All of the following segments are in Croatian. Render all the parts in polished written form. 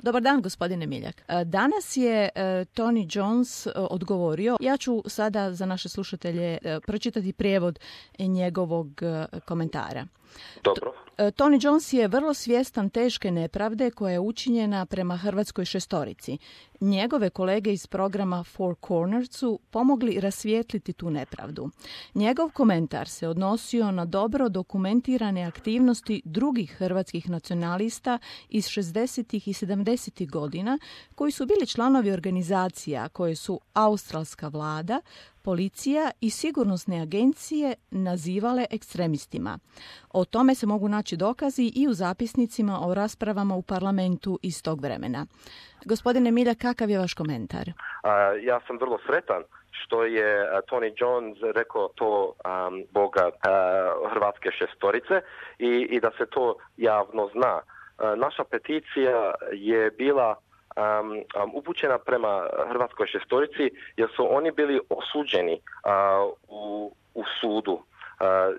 Dobar dan, gospodine Miljak. Danas je Tony Jones odgovorio. Ja ću sada za naše slušatelje pročitati prijevod njegovog komentara. Dobro. Tony Jones je vrlo svjestan teške nepravde koja je učinjena prema hrvatskoj šestorici. Njegove kolege iz programa Four Corners su pomogli rasvijetliti tu nepravdu. Njegov komentar se odnosio na dobro dokumentirane aktivnosti drugih hrvatskih nacionalista iz 60. i 70. godina koji su bili članovi organizacija koje su australska vlada, policija i sigurnosne agencije nazivale ekstremistima. O tome se mogu naći dokazi i u zapisnicima o raspravama u parlamentu iz tog vremena. Gospodine Milja, kakav je vaš komentar? Ja sam vrlo sretan što je Tony Jones rekao to Boga hrvatske šestorice i da se to javno zna. Naša peticija je bila upućena prema hrvatskoj šestorici jer su oni bili osuđeni u sudu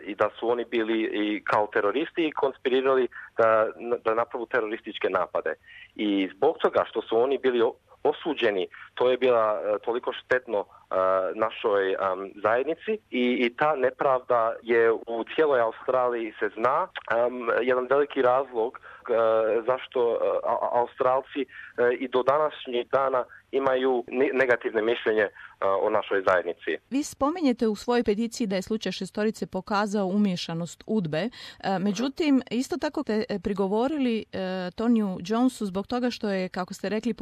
i da su oni bili i kao teroristi i konspirirali da napravu terorističke napade. I zbog toga što su oni bili osuđeni, to je bila toliko štetno našoj zajednici i ta nepravda je u cijeloj Australiji se zna. Jedan veliki razlog zašto Australci i do današnjeg dana imaju negativne mišljenje o našoj zajednici. Vi spominjete u svojoj peticiji da je slučaj šestorice pokazao umiješanost UDBE, međutim, isto tako ste prigovorili Tonyu Jonesu zbog toga što je, kako ste rekli,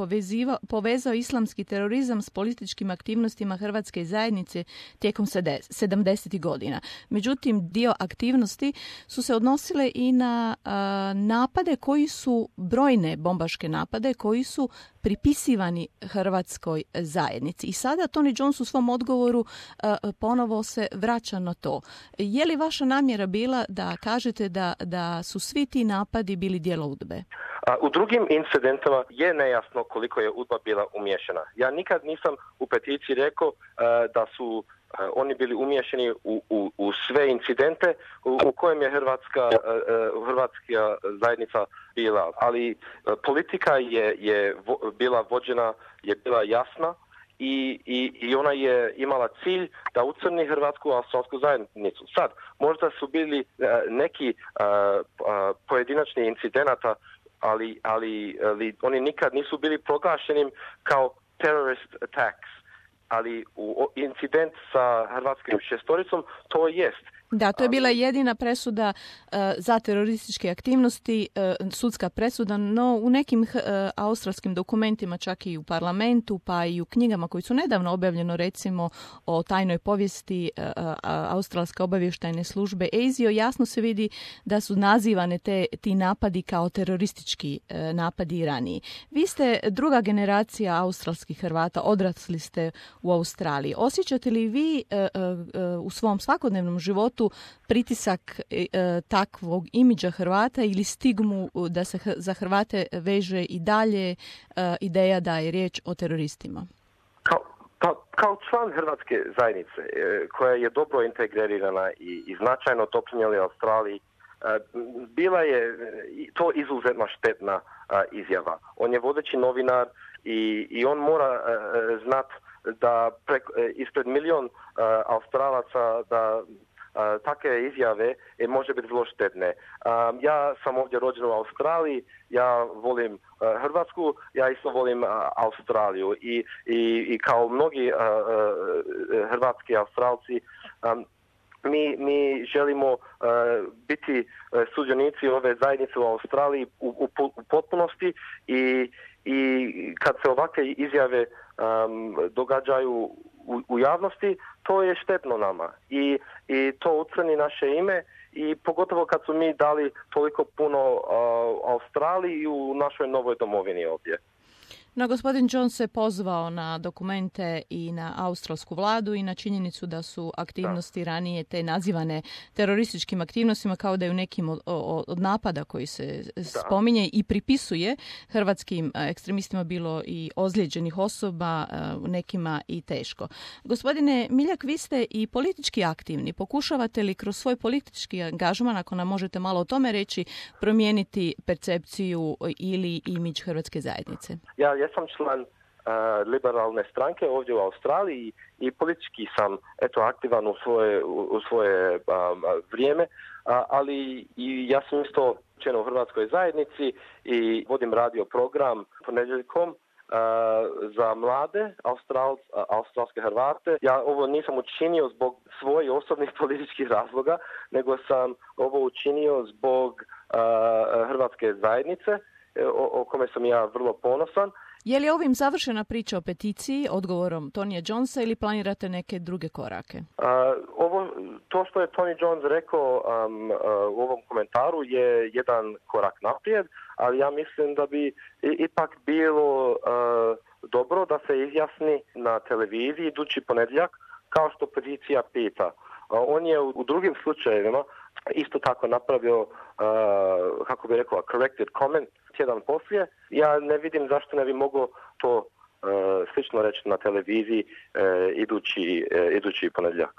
povezao islamski terorizam s političkim aktivnostima hrvatske zajednice tijekom 70. godina. Međutim, dio aktivnosti su se odnosile i na napade koji su, brojne bombaške napade koji su pripisivani hrvatskoj zajednici. I sada Tony Jones u svom odgovoru ponovo se vraća na to. Je li vaša namjera bila da kažete da su svi ti napadi bili djelo UDBE? U drugim incidentima je nejasno koliko je UDBA bila umiješana. Ja nikad nisam u peticiji rekao da su oni bili umiješani u sve incidente u kojem je hrvatska zajednica bila. Ali politika je bila vođena, je bila jasna i ona je imala cilj da ucrni hrvatsku australsku zajednicu. Sad, možda su bili neki pojedinačni incidenata, ali oni nikad nisu bili proglašeni kao terrorist attacks. Ali incident sa hrvatskim šestoricom to jest. Da, to je bila jedina presuda za terorističke aktivnosti, sudska presuda, no u nekim australskim dokumentima, čak i u parlamentu, pa i u knjigama koji su nedavno objavljeno, recimo o tajnoj povijesti australske obavještajne službe ASIO, jasno se vidi da su nazivane ti napadi kao teroristički napadi i raniji. Vi ste druga generacija australskih Hrvata, odrasli ste u Australiji. Osjećate li vi u svom svakodnevnom životu pritisak takvog imidža Hrvata ili stigmu da se za Hrvate veže i dalje ideja da je riječ o teroristima? Kao član hrvatske zajednice koja je dobro integrirana i značajno doprinijela Australiji, bila je to izuzetno štetna izjava. On je vodeći novinar i on mora znati da ispred milion Australaca da takve izjave može biti vrlo štetne. Ja sam ovdje rođen u Australiji, ja volim Hrvatsku, ja isto volim Australiju i kao mnogi hrvatski Australci mi želimo biti sudionici ove zajednice u Australiji u potpunosti i kad se ovakve izjave događaju u javnosti, to je štetno nama i to ucrni naše ime i pogotovo kad su mi dali toliko puno Australiji i u našoj novoj domovini ovdje. No, gospodin Jones se pozvao na dokumente i na australsku vladu i na činjenicu da su aktivnosti ranije te nazivane terorističkim aktivnostima, kao da je u nekim od napada koji se spominje i pripisuje hrvatskim ekstremistima bilo i ozlijeđenih osoba, nekima i teško. Gospodine Miljak, vi ste i politički aktivni. Pokušavate li kroz svoj politički angažman, ako nam možete malo o tome reći, promijeniti percepciju ili imidž hrvatske zajednice? Ja sam član liberalne stranke ovdje u Australiji i politički sam aktivan u svoje vrijeme, ali i ja sam isto član u hrvatskoj zajednici i vodim radio program ponedjeljkom za mlade australske Hrvate. Ja ovo nisam učinio zbog svojih osobnih političkih razloga, nego sam ovo učinio zbog hrvatske zajednice, o kome sam ja vrlo ponosan. Je li ovim završena priča o peticiji odgovorom Tonija Jonesa ili planirate neke druge korake? To što je Tony Jones rekao u ovom komentaru je jedan korak naprijed, ali ja mislim da bi ipak bilo dobro da se izjasni na televiziji idući ponedjeljak, kao što peticija pita. On je u drugim slučajevima isto tako napravio, kako bi rekao, corrected comment tjedan poslije. Ja ne vidim zašto ne bi mogao to slično reći na televiziji idući ponedjeljak.